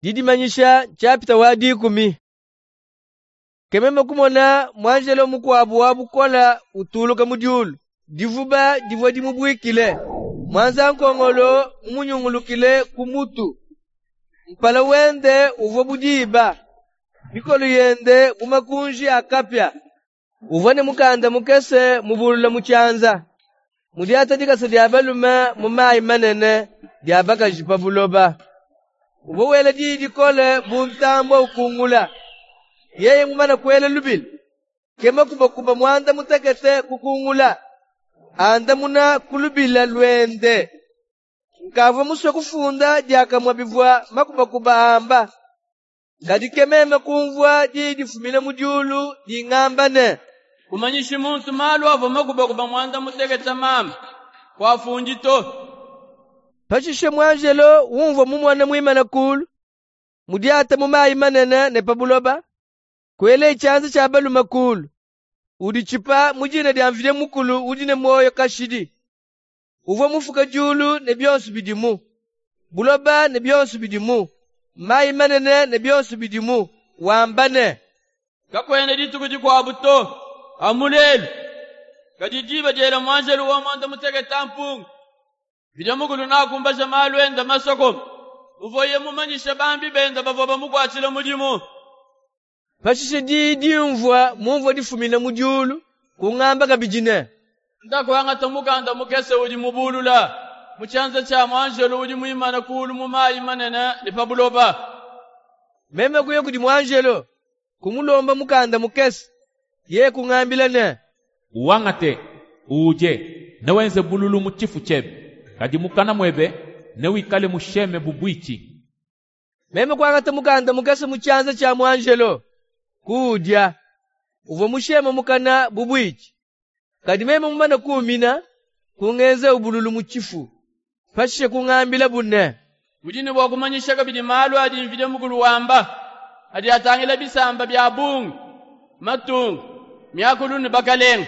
Didimanyisha nshapita wa dikumi. Ke meme kumona muanjelo mukuabu wa bukole utuluka mu diulu. Divuba divua dimubuikile, muanza-nkongolo mumunyungulukile ku mutu. Mpala wende uvua bu diba, mikolo yende bu makunji a kapia. Uvua ne mukanda mukese mubulula mu tshianza, mudiate dikasa dia balume mu mayi manene, dia bakaji pa buloba. Uvua wela diyi dikole bu ntambue ukungula. Yeye mumane kuela lubila, ke makubakuba muanda mutekete kukungula, andamuna ku lubila luende. Nkavua musue kufunda diakamue bivua makubakuba amba. Kadi ke meme kumvua diyi difumina mu diulu dingamba ne, Kumanyishi muntu malu avua makubakuba muanda mutekete mambe, kuafundi to. Pashishe muanjelo umvua mumone muimane kulu, mudiate mu mayi manene ne pa buloba, kuelaye tshianza tshia balume kulu, uditshipa mu dina dia Mvidi Mukulu udi ne muoyo kashidi, uvua mufuke diulu ne bionso bidimu, buloba ne bionso bidimu, mayi manene ne bionso bidimu, wamba ne, Kakuena dituku dikuabu to, amu lelu. Kadi diba diela muanjelu wa muanda mutekete mpungi, Mvidi Mukulu neakumbaje malu ende masokome, muvuaye mumanyishe bambi bende bavua bamukuatshila mudimu. Pashishe diyi dimvua mumvue difumina mu diulu, kungamba kabidi ne, Ndaku angata mukanda mukese udi mubulula mu tshianza tshia muanjelu udi muimane kulu mu mayi manene ne pa buloba. Meme kuya kudi muanjelo, kumulomba mukanda mukese. Yeye kungambila ne, Uwangate, uudie, newenze bululu mu tshifu tshiebe, kadi mukana muebe newikale musheme bu buitshi. Meme kuangata mukanda mukese mu tshianza tshia muanjelo, kuudia. Uvua musheme mukana bu buitshi. Kadi meme mumane kuumina, kungenzawu bululu mu tshifu. Pashishe kungambilabu ne, Udi ne bua kumanyisha kabidi malu adi Mvidi Mukulu wamba, adi atangila bisamba bia bungi, matunga, miakulu ne bakalenga.